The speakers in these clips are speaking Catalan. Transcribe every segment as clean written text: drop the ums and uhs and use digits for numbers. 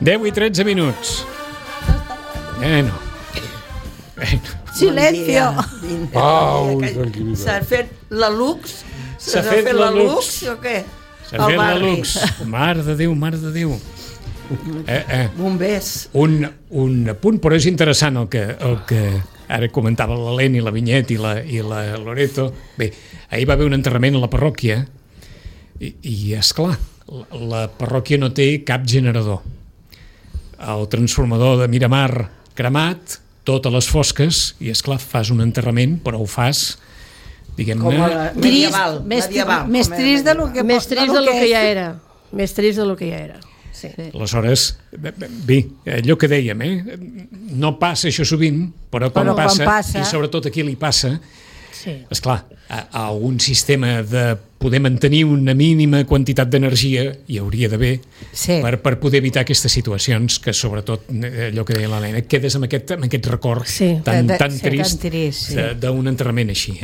10:13. Bueno. Silencio. S'ha fet la Lux? S'ha fet la Lux o què? S'ha fet la Lux. Mare de Déu. Bombers. Un apunt, però és interessant el que ara comentava l'Helena i la Vinyet i la Loreto. Bé, ahir va haver un enterrament a la parròquia i esclar, la parròquia no té cap generador. El transformador de Miramar cremat, totes les fosques, i esclar, fas un enterrament, però ho fas, diguem-ne... Medieval. Més trist de lo que ja era. Més trist de lo que ja era. Sí. Aleshores, bé, allò que dèiem, no passa això sovint, però quan passa, i sobretot aquí li passa, esclar, a un sistema de poder mantenir una mínima quantitat d'energia hi hauria d'haver per poder evitar aquestes situacions que sobretot, allò que deia l'Helena, quedes amb aquest record tan trist d'un enterrament així.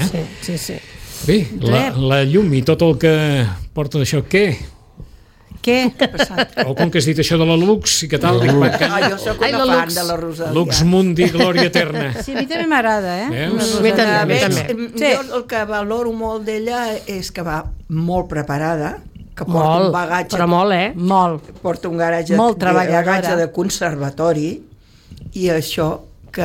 Sí. Bé, la llum i tot el que porta d'això, què? Què ha passat? O com que has dit això de la Lux i què tal? Jo soc una fan de la Rosalia. Lux Mundi, glòria eterna. Sí, a mi també m'agrada, Jo el que valoro molt d'ella és que va molt preparada, que porta un bagatge... Però molt, Molt. Porta un bagatge de conservatori, i això que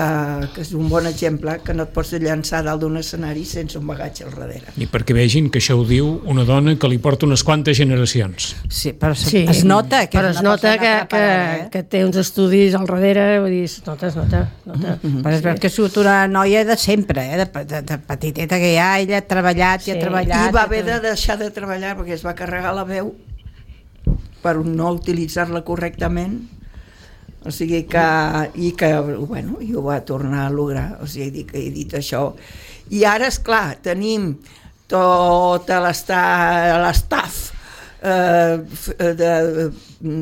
és un bon exemple, que no et pots llançar dalt d'un escenari sense un bagatge al darrere. I perquè vegin que això ho diu una dona que li porta unes quantes generacions. Sí, però es nota que però es nota que té uns estudis al darrere, vull dir, es nota. Però és que surt una noia de sempre, de petiteta que ja ella ha treballat i ha treballat. I va haver de deixar de treballar perquè es va carregar la veu per no utilitzar-la correctament. O sigui bueno, i ho va tornar a lograr, o sigui que he dit això. I ara, esclar, tenim tot l'estaf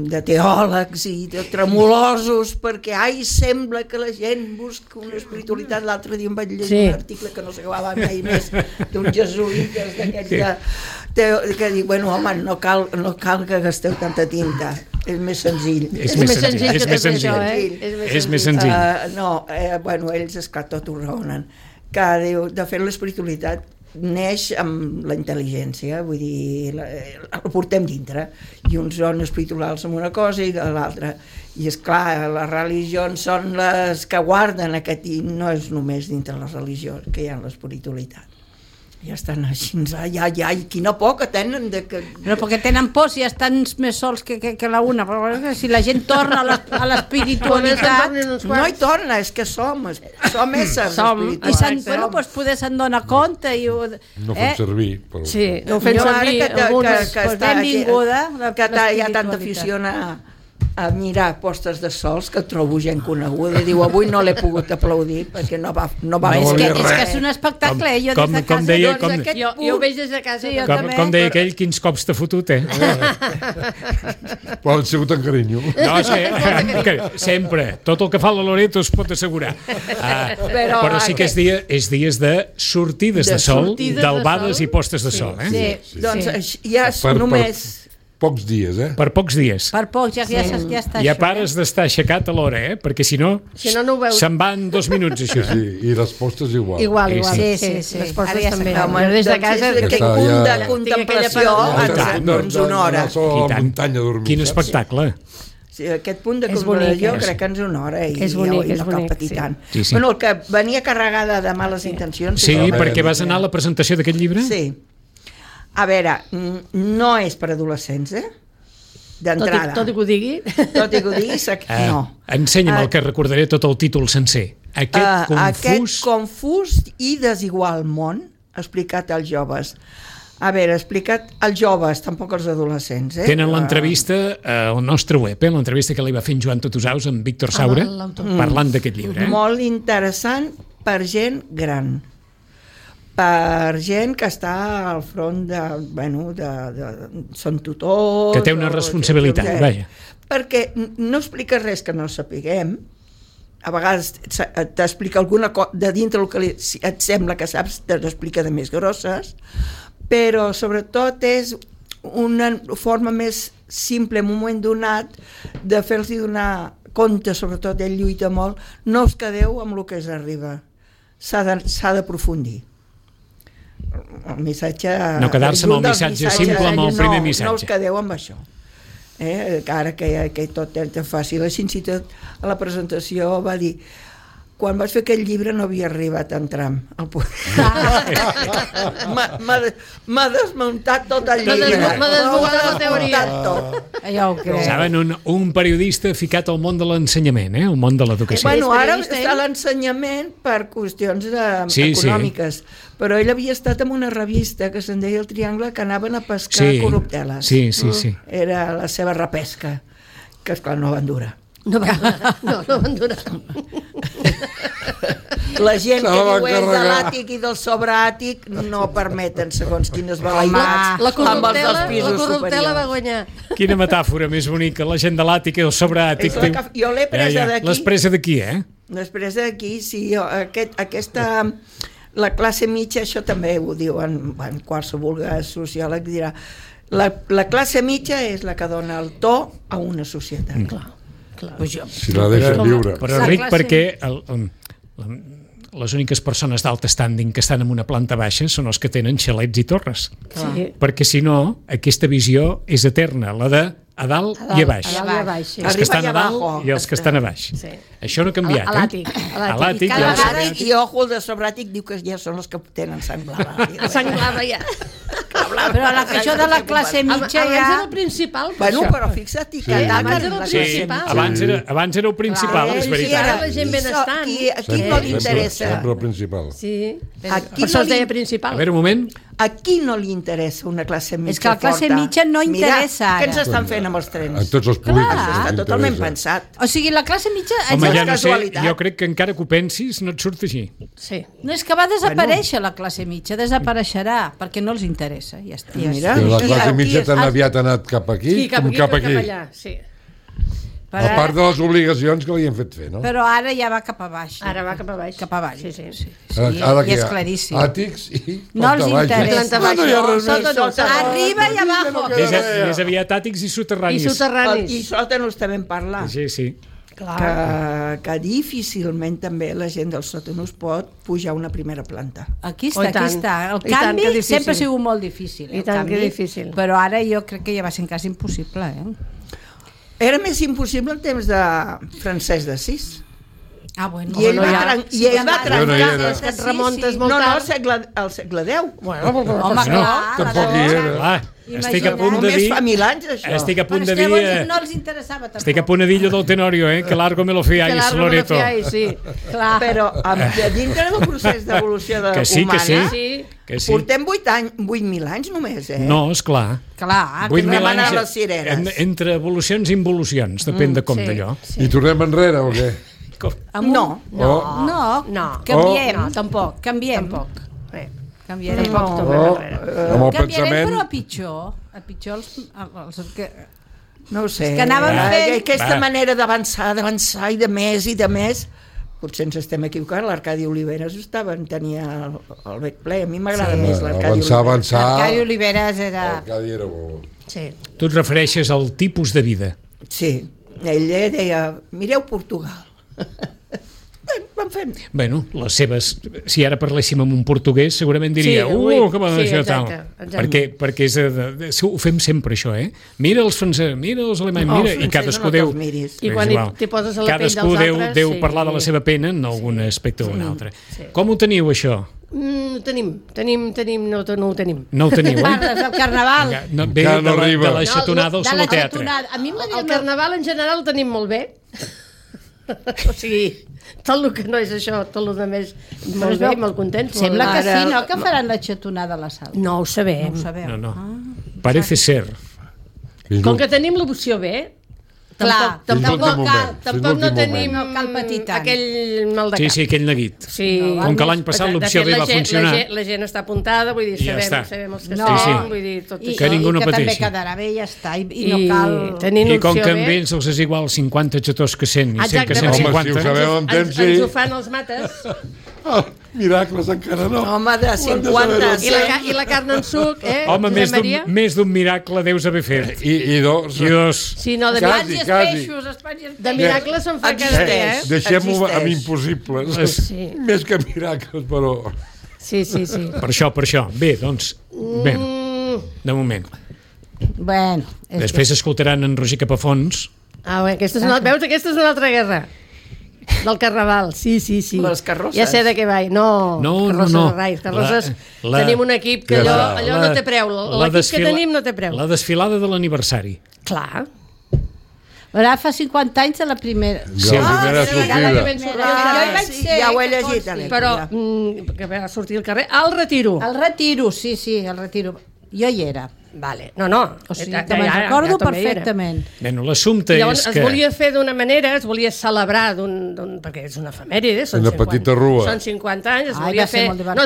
de teòlegs i de tremolosos perquè sembla que la gent busca una espiritualitat. L'altre dia em vaig llegir un article que no s'acabava mai més d'un jesuïtes d'aquests que diu, bueno, home, no cal que gasteu tanta tinta, és més senzill. És més senzill. Bueno, ells esclar tot ho raonen, que diu, de fet l'espiritualitat neix amb la intel·ligència, vull dir, la portem dintre, i uns són espirituals amb una cosa i l'altra, i esclar, les religions són les que guarden aquest, i no és només dintre les religions que hi ha l'espiritualitat. Ja estan així, quina por que tenen però perquè tenen por si estan més sols que la una, però si la gent torna a l'espiritualitat no hi torna, és que som éssers espirituals, i doncs poder se'n donar compte no fem servir no fem servir que benvinguda que hi ha tanta afició a mirar postes de sols que trobo gent coneguda i diu, avui no l'he pogut aplaudir perquè no va és que és un espectacle, jo des de casa jo ho veig des de casa com deia aquell, quins cops t'ha fotut, però han sigut en carinyo. No, sempre, tot el que fa la Loreto es pot assegurar, però sí que és dies de sortides de sol, d'albades i postes de sol. Doncs ja només pocs dies, Per pocs dies. Per pocs, ja està. Ja pares d'estar aixecat a l'hora, perquè si no ho veus. Se'n van 2 minuts, això. I les postes igual. Sí. Les postes també. Des de casa, aquest punt de contemplació, doncs una hora. Quin espectacle. Aquest punt de contemplació crec que ens una hora i no cal patir tant. Bueno, el que venia carregada de males intencions. Sí, perquè vas anar a la presentació d'aquest llibre? Sí. A veure, no és per adolescents, d'entrada. Tot i que ho digui? Tot i que ho digui, no. Ensenya'm el que recordaré tot el títol sencer. Aquest confús i desigual món explicat als joves. A veure, explicat als joves, tampoc als adolescents. Tenen l'entrevista al nostre web, l'entrevista que li va fer en Joan Totusaus amb Víctor Saura, parlant d'aquest llibre. Molt interessant per gent gran. Per gent que està al front són tutors... Que té una responsabilitat, vaja. Perquè no explica res que no sapiguem, a vegades t'explica alguna cosa de dintre el que et sembla que saps, te l'explica de més grosses, però sobretot és una forma més simple en un moment donat de fer-los donar compte, sobretot ell lluita molt, no us quedeu amb el que us arriba, s'ha d'aprofundir. El missatge... No quedar-se amb el missatge simple, amb el primer missatge. No us quedeu amb això. Ara que tot és fàcil. Així tot a la presentació va dir: quan vaig fer aquell llibre no havia arribat en tram. M'ha desmuntat tot el llibre. M'ha desmuntat la teoria. Ja ho crec. Saben, un periodista ficat al món de l'ensenyament, el món de l'educació. Bueno, ara està a l'ensenyament per qüestions econòmiques, però ell havia estat en una revista que se'n deia El Triangle, que anaven a pescar corrupteles. Sí. Era la seva repesca, que esclar no van durar. No van durar. La gent que diu és de l'àtic i del sobreàtic no permeten segons quines balaïdes la corruptela va guanyar. Quina metàfora més bonica, la gent de l'àtic i el sobreàtic. Jo l'he presa d'aquí. L'has presa d'aquí, L'he presa d'aquí, sí. Aquesta... La classe mitja, això també ho diu en qualsevol sociòleg, dirà la classe mitja és la que dona el to a una societat. Clar. Si la deixen viure. Però ric perquè les úniques persones d'alt standing que estan en una planta baixa són els que tenen xalets i torres. Sí. Perquè si no, aquesta visió és eterna, la de a dalt i a baix. Els que estan a dalt i els que estan a baix. Sí. Això no ha canviat. A l'àtic. I ojo, el de sobràtic diu que ja són els que tenen sang blava. Sang blava ja. Però això de la classe mitja abans era el principal. Bueno, però fixa't que abans era el principal. Abans era el principal, és veritat. Ara la gent benestant. Aquí no li interessa. Sempre el principal. Sí. Per això es deia principal. A veure, un moment. A qui no li interessa una classe mitja forta? És que la classe mitja no interessa ara. Mira, què ens estan fent amb els trens? En tots els polítics. Està totalment pensat. O sigui, la classe mitja... Home, ja no sé, jo crec que encara que ho pensis no et surt així. Sí. No, és que va desaparèixer la classe mitja, desapareixerà, perquè no els interessa, ja està. Mira, la classe mitja tan aviat ha anat cap aquí com cap aquí. Allà, sí. A part de les obligacions que li han fet fer, no? Però ara ja va cap a baix. Ara va cap a baix. Cap a baix. Sí. I és claríssim. Àtics i no els interessa. No hi ha res més. Arriba i abajo. Més aviat àtics i soterranis. I sòtanos també en parlar. Sí. Que difícilment també la gent dels sòtanos pot pujar una primera planta. Aquí està. El canvi sempre ha sigut molt difícil. I tant que difícil. Però ara jo crec que ja va ser quasi impossible. Era més impossible en temps de Francesc d'Assís. Bueno. I ell va trencar. Et remontes molt tard. Al segle X. Home, clar. Tampoc hi era. Estic a punt de dir... Només fa 1000 anys, això. Estic a punt de dir... No els interessava tampoc. Estic a punt de dir allò del Tenorio, que largo me lo fiáis, Loreto. Sí, clar. Però dintre del procés d'evolució humana... Que sí. Portem 8.000 anys només, No, esclar. Clar. 8.000 anys entre evolucions i involucions, depèn de com d'allò. I tornem enrere o què? No. Canviem. Tampoc. Canviem. Canviarem, però a pitjor. A pitjor els que... No ho sé. Que anàvem fent... Aquesta manera d'avançar i de més, potser ens estem equivocant. L'Arcadi Oliveres tenia el bec ple. A mi m'agrada més l'Arcadi Oliveres. Avançar. L'Arcadi Oliveres era... L'Arcadi era bo. Sí. Tu et refereixes al tipus de vida. Sí. Ell deia, mireu Portugal. Van fent. Bueno, les seves... Si ara parléssim amb un portuguès, segurament diria que va deixar tal. Perquè ho fem sempre, això, Mira els francesos, mira els alemanys, i cadascú deu... I quan t'hi poses a la pell dels altres... Cadascú deu parlar de la seva pena en algun aspecte o un altre. Com ho teniu, això? No ho tenim, no ho tenim. No ho teniu, Parles del carnaval. Ve de la xatonada al solo teatre. El carnaval en general el tenim molt bé. O sigui, tot el que no és això, tot el que més molt bé, molt contents. Sembla que sí, no? Que faran la xatonada a la sala. No ho sabem. No. Parece ser. Com que tenim l'opció B, tampoc no tenim aquell mal de cap. Sí, aquell neguit. Com que l'any passat l'opció B va funcionar. La gent està apuntada, vull dir, sabem els que estem, vull dir, tot això. Que ningú no pateixi. I que també quedarà bé, ja està, i no cal... I com que amb ells els és igual 50 xators que 100 i 100 que 150... Home, si ho sabeu amb temps, sí. Ens ho fan els mates. Miracles encara no. Home, de 50... I la carn en suc, Home, més d'un miracle deus haver fet. I dos. Sí, no, de Quasi. De miracles se'n fa cada dia, Deixem-ho amb impossibles. Sí. Més que miracles, però... Sí. Per això. Bé, doncs, de moment. Bueno. Després escoltaran en Roger Capafons. Veus, aquesta és una altra guerra. Del Carnaval, sí. Les carrosses. Ja sé de què va. No. Carrosses, tenim un equip que allò no té preu. L'equip que tenim no té preu. La desfilada de l'aniversari. Clar. Ara fa 50 anys de la primera. Sí, la primera sortida. Jo hi vaig ser. Ja ho he llegit. Però, que va sortir al carrer, al Retiro. El Retiro, sí, el Retiro. Jo hi era. Vale. No. O sigui, que me'n recordo perfectament. Bueno, l'assumpte és que... Es volia fer d'una manera, es volia celebrar perquè és una efemèride, una petita rua. Són 50 anys, es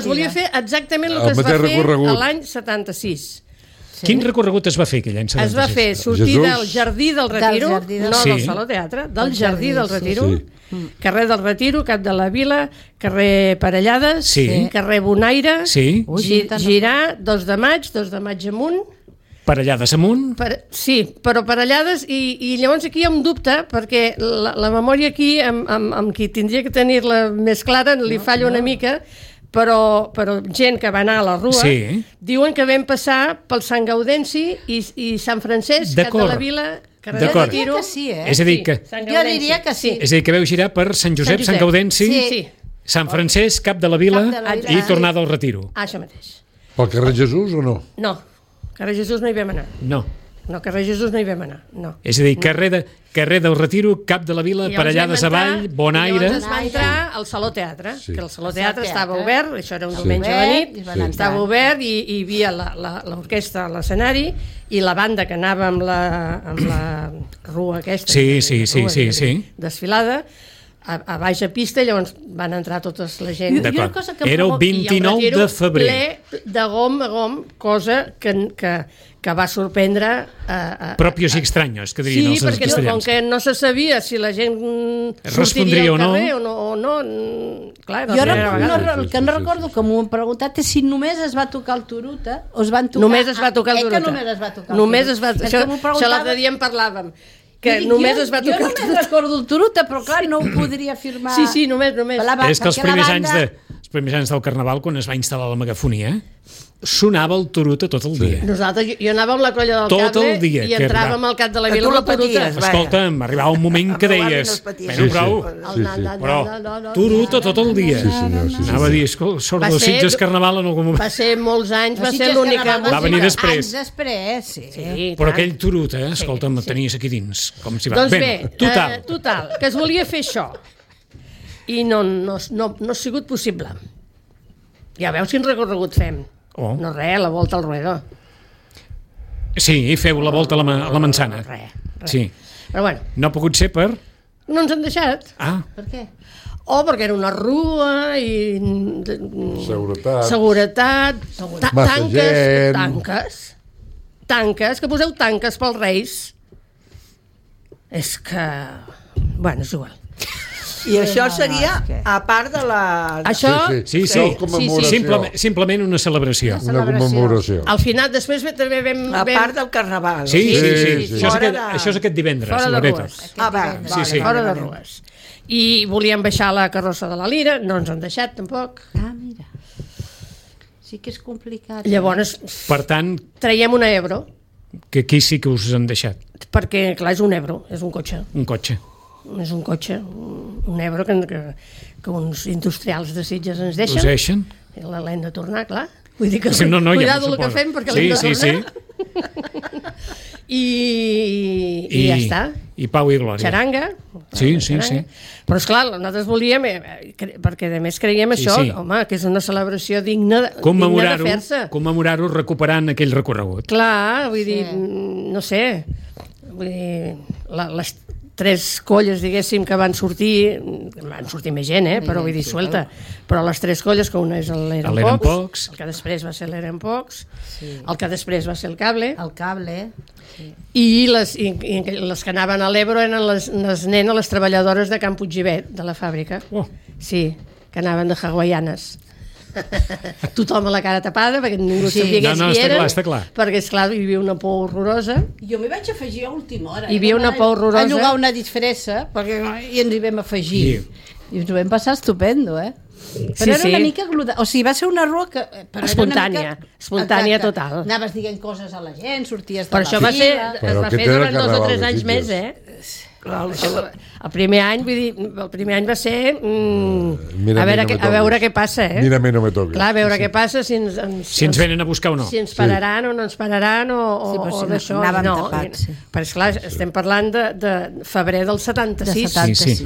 volia fer exactament el que es va fer l'any 76. Quin recorregut es va fer aquell any 76? Es va fer sortir del Jardí del Retiro, no del Saló Teatre, del Jardí del Retiro, carrer del Retiro, Cap de la Vila, carrer Parellades, carrer Bonaire, girar 2 de maig amunt. Parellades amunt? Sí, però Parellades, i llavors aquí hi ha un dubte, perquè la memòria aquí, amb qui tindria que tenir-la més clara, li falla una mica, però gent que va anar a la Rua diuen que vam passar pel Sant Gaudenci i Sant Francesc, Cap de la Vila, carrer del Retiro. És a dir que... Jo diria que sí. És a dir, que veu girar per Sant Josep, Sant Gaudenci, Sant Francesc, Cap de la Vila i tornada al Retiro. Això mateix. Pel carrer Jesús o no? No, carrer Jesús no hi vam anar. No, carrer Jesús no hi vam anar, no. És a dir, carrer del Retiro, Cap de la Vila, Parellades avall, Bonaire... I llavors es va entrar al Saló Teatre, que el Saló Teatre estava obert, això era un diumenge de nit, estava obert i hi havia l'orquestra a l'escenari i la banda que anava amb la rua aquesta, desfilada, a baixa pista, i llavors van entrar totes la gent. Era el 29 de febrer. Ple de gom a gom, cosa que va sorprendre... Propios i extraños, que dirien els castellans. Sí, perquè com que no se sabia si la gent sortiria al carrer o no... Clar, jo el que no recordo, que m'ho han preguntat, és si només es va tocar el Turuta o es van tocar... Només es va tocar el Turuta. Només es va tocar el Turuta. Això l'altre dia en parlàvem. Que només es va tocar el Turuta. Jo només recordo el Turuta, però clar, no ho podria afirmar. Sí, només. És que els primers anys del Carnaval, quan es va instal·lar la megafonia, sonava el Turuta tot el dia. Nosaltres, jo anava amb la colla del cable i entràvem al Cap de la Vila amb el Turuta. Escolta'm, arribava un moment que deies però Turuta tot el dia. Anava a dir, sort de Sitges Carnaval en algun moment. Va ser molts anys, va ser l'única música. Va venir després. Anys després, sí. Però aquell Turuta, escolta'm, el tenies aquí dins. Doncs bé, total, que es volia fer això i no ha sigut possible. Ja veus quin recorregut fem. No res, la volta al Ruedo. Sí, feu la volta a la manzana. Res. Sí. Però bueno. No ha pogut ser per... No ens han deixat. Per què? Perquè era una rua i... Seguretat. Tanques, que poseu tanques pels Reis. És que... Bueno, és igual. I això seria a part de la... Això... Sí. Simplement una celebració. Una commemoració. Al final, després també vam... A part del Carnaval. Sí. Això és aquest divendres. Fora de Rues. Fora de Rues. I volíem baixar la carrossa de la Lira, no ens han deixat tampoc. Mira. Sí que és complicat. Llavors, per tant... traiem una Ebro. Que aquí sí que us han deixat. Perquè, clar, és un Ebro, és un cotxe. És un cotxe, un Ebro que uns industrials de Sitges ens deixen. Us deixen? L'hem de tornar, clar. Vull dir que cuidado el que fem perquè l'hem de tornar. I ja està. I pau i glòria. Xaranga. Sí. Però esclar, nosaltres volíem, perquè a més creiem això, home, que és una celebració digna de fer-se. Commemorar-ho recuperant aquell recorregut. Clar, vull dir, no sé, vull dir, les 3 colles, diguéssim, que van sortir més gent, però vull dir, suelta, però les 3 colles, que una és l'Eren-Pocs, el que després va ser l'Eren-Pocs, el que després va ser el Cable, i les que anaven a l'Ebro eren les nenes, les treballadores de Can Puiggivet, de la fàbrica. Sí, que anaven de hawaianes. Tothom a la cara tapada perquè ningú sabia qui eren, està clar. perquè esclar hi havia una por horrorosa. Jo m'hi vaig afegir a última hora. Hi havia una por horrorosa. A llogar una disfressa i ens hi vam afegir. I ens ho vam passar estupendo, Però era una mica gluda, o sigui, va ser una rua que... Espontània total. Anaves dient coses a la gent, sorties de per la això fila... es va fer durant 2 o 3 anys més, El primer any, vull dir, el primer any va ser a veure què passa, Mira, a mi no me toca. Clar, a veure què passa, si ens venen a buscar o no. Si ens pararan o no ens pararan o d'això. Anàvem tapats, Però esclar, estem parlant de febrer del 76. Sí.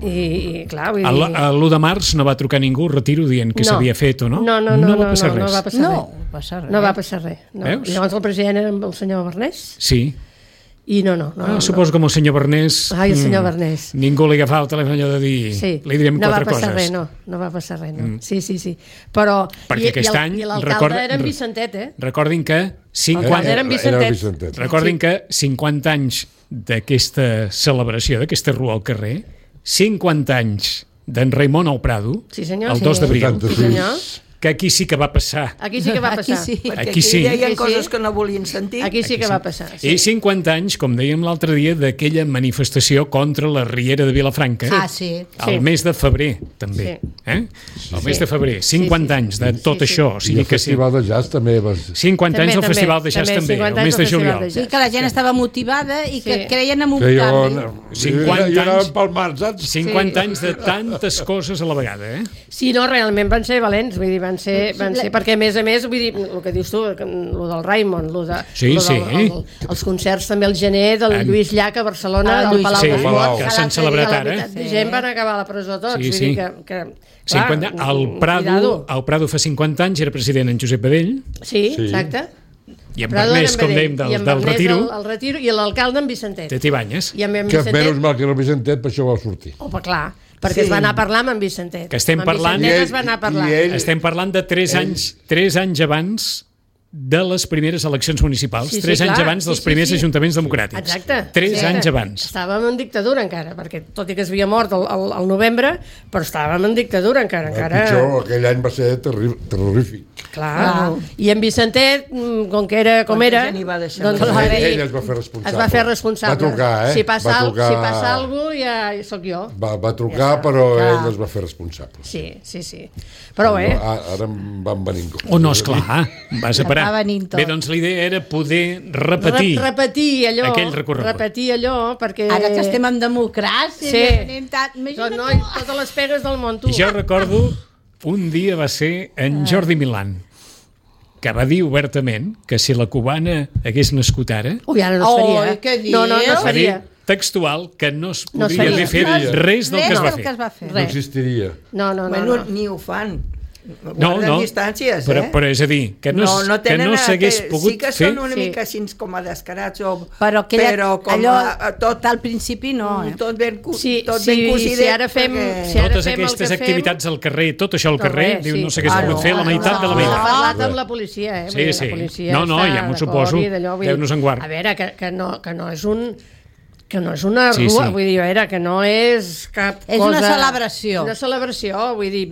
I clar, vull dir... L'1 de març no va trucar ningú, retiro, dient que s'havia fet o no? No va passar res. No va passar res. Veus? Llavors el president era el senyor Bernés. Sí. I no. Suposo que amb el senyor Bernés... El senyor Bernés. Ningú li agafava el telèfon allò de dir... Li direm 4 coses. No va passar res, no. Sí. Però... Perquè aquest any... I l'alcalde era en Vicentet, Recordin que... Era en Vicentet. Recordin que 50 anys d'aquesta celebració, d'aquesta rua al carrer, 50 anys d'en Raimon al Prado, el 2 d'abril. Sí, senyor. Que aquí sí que va passar. Aquí sí que va passar. Aquí sí. Hi havia coses que no volien sentir. Aquí sí que va passar. I 50 anys, com dèiem l'altre dia, d'aquella manifestació contra la Riera de Vilafranca. El mes de febrer, també. El mes de febrer. 50 anys de tot això. I el Festival de Jazz també. 50 anys del Festival de Jazz també, el mes de juliol. Sí, que la gent estava motivada i que creien en un canvi. 50 anys de tantes coses a la vegada, Sí, no, realment van ser valents, vull dir, van ser perquè a més, vull dir, el que dius tu, el del Raimon, els concerts també al gener del Lluís Llach a Barcelona, al Palau de Foc, que s'han celebrat ara. La gent van acabar a la presó tots, vull dir que... El Prado fa 50 anys era president en Josep Badell. Sí, exacte. I en Bernés, com dèiem, del Retiro. El Retiro i l'alcalde en Vicentet. Teti Banyes. Que menys mal que el Vicentet, per això va sortir. Home, clar. Perquè es va anar a parlar amb en Vicentet. Que estem parlant... Estem parlant de 3 anys abans de les primeres eleccions municipals, 3 anys abans dels primers ajuntaments democràtics. Exacte. 3 anys abans. Estàvem en dictadura encara, perquè tot i que es havia mort al novembre, però estàvem en dictadura encara. Pitjor, aquell any va ser terrorífic. Clar. I en Vicentet, com era, doncs ell es va fer responsable. Es va fer responsable. Va trucar, Si passa alguna cosa, ja sóc jo. Va trucar, però ell es va fer responsable. Sí. Però bé. Ara em van venir en compte. O no, esclar, vas a parar. Bé, doncs la idea era poder repetir aquell recorregut. Repetir allò, perquè... Ara que estem en democràcia, totes les pegues del món, tu. I jo recordo, un dia va ser en Jordi Milán, que va dir obertament que si la cubana hagués nascut ara... Ara no es faria. Què dius? No es faria. Textual, que no es podia haver fet res del que es va fer. No existiria. No. Ni ho fan. No, distàncies, però és a dir, que no s'hagués pogut fer... Sí que són una mica així com a descarats, però com allò, tot al principi no. Tot ben cosidit. Si ara fem totes aquestes activitats al carrer, tot això al carrer, diu, no s'hagués pogut fer la meitat de la meitat. S'ha parlat amb la policia, Sí. No, ja m'ho suposo. Déu-nos en guard. A veure, que no és un... que no és una rua, vull dir, que no és cap cosa... És una celebració. Una celebració, vull dir...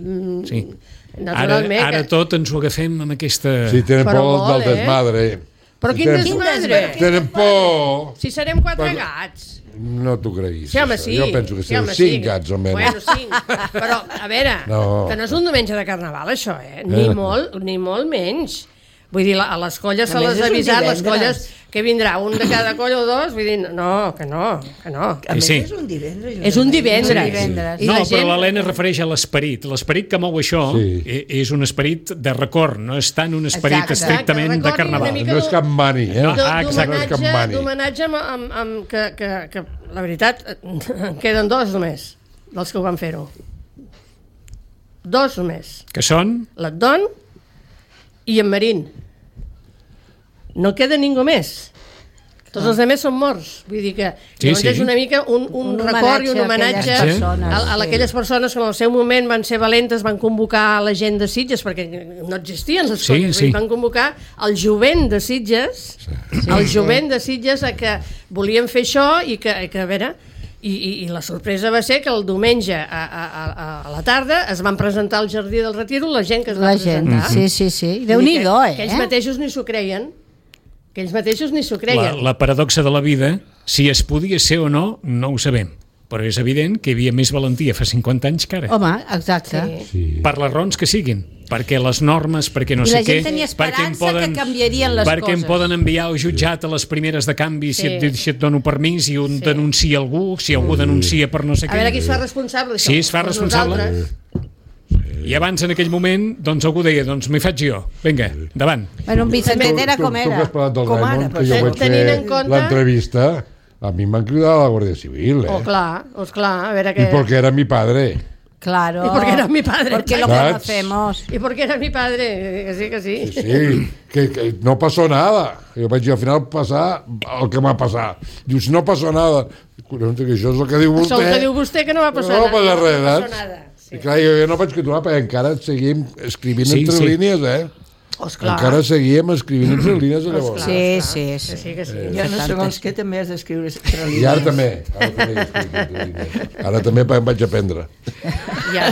Naturalment... Ara tot ens ho agafem amb aquesta... Sí, tenen por del desmadre. Però quin desmadre? Tenen por... Si serem 4 gats. No t'ho creguis. Sí, home, sí. Jo penso que serem 5 gats, almenys. Bueno, 5. Però, a veure, que no és un diumenge de Carnaval, això, Ni molt menys. Vull dir, a les colles se les ha avisat, les colles que vindrà un de cada colla o dos, vull dir, que no. A més, és un divendres. És un divendres. No, però l'Helena es refereix a l'esperit. L'esperit que mou això és un esperit de record, no és tant un esperit estrictament de Carnaval. No és cap mani, D'homenatge que, la veritat, en queden 2 només, dels que ho van fer-ho. 2 només. Que són? L'Adon i en Marín. No queda ningú més. Tots els altres són morts. Vull dir que és una mica un record i un homenatge a aquelles persones que en el seu moment van ser valentes, van convocar la gent de Sitges, perquè no existien les coses. Van convocar el jovent de Sitges, a que volien fer això i que a veure... I la sorpresa va ser que el diumenge a la tarda es van presentar al Jardí del Retiro la gent que es va presentar. Sí. Déu-n'hi-do, que ells mateixos ni s'ho creien. La paradoxa de la vida, si es podia ser o no, no ho sabem. Però és evident que hi havia més valentia fa 50 anys que ara. Home, exacte. Sí. Per les raons que siguin. Perquè les normes, perquè no sé què... I la gent tenia esperança que canviarien les coses. Perquè em poden enviar al jutjat a les primeres de canvi si et dono permís i un denuncia algú, si algú denuncia per no sé què. A veure qui es fa responsable, això. Sí, es fa responsable. I abans, en aquell moment, doncs algú deia, doncs m'hi faig jo. Vinga, endavant. Bueno, un Vicentet era com era. Tu que has parlat del Raimon, que jo vaig fer l'entrevista, a mi m'han cridat a la Guàrdia Civil, Oh, clar, a veure què... Y porque era mi padre. Claro. Y porque era mi padre. Porque lo conocemos. Y porque era mi padre, que sí. Sí, que no pasó nada. Jo vaig dir, al final passar el que m'ha passat. Dius, no passó nada. Collons, que això és el que diu vostè. Això el que diu vostè, que no va passar nada. No va passar res, no va passar nada. Sí. I clar, jo no vaig continuar, perquè encara seguim escrivint entre línies, Encara seguíem escrivint entre línies de llavors. Sí. Jo no segons què també has d'escriure entre línies. I ara també. Ara també em vaig aprendre. Ja.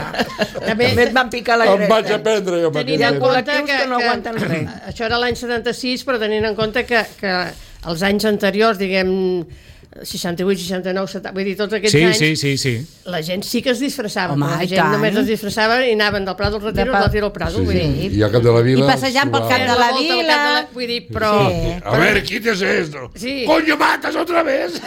També et van picar la greta. Em vaig aprendre jo. Tenint en compte que no aguanten res. Això era l'any 76, però tenint en compte que els anys anteriors, diguem... 68, 69, 70, vull dir, tots aquests anys... Sí. La gent sí que es disfressava. La gent només es disfressava i anaven del Prado al Retiro al Prado. I al Cap de la Vila... I passejant pel Cap de la Vila... Vull dir, però... A ver, ¿quién es esto? ¡Coño, matas otra vez!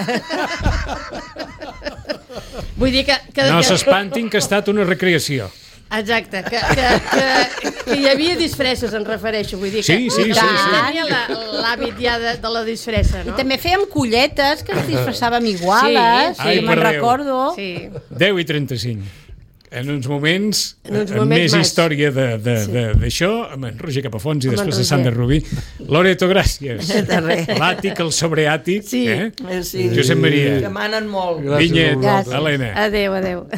Vull dir que... No s'espantin que ha estat una recreació. Exacte, que hi havia disfresses, em refereixo, vull dir que tenia l'hàbit ja de la disfressa, no? I també fèiem colletes, que ens disfressàvem iguales, me'n recordo. 10:35. En uns moments més història d'això, amb en Roger Capafons i després de Sandra Rubí. Loreto, gràcies. L'àtic, el sobreàtic. Josep Maria. Que manen molt. Vinyet, Helena. Adéu.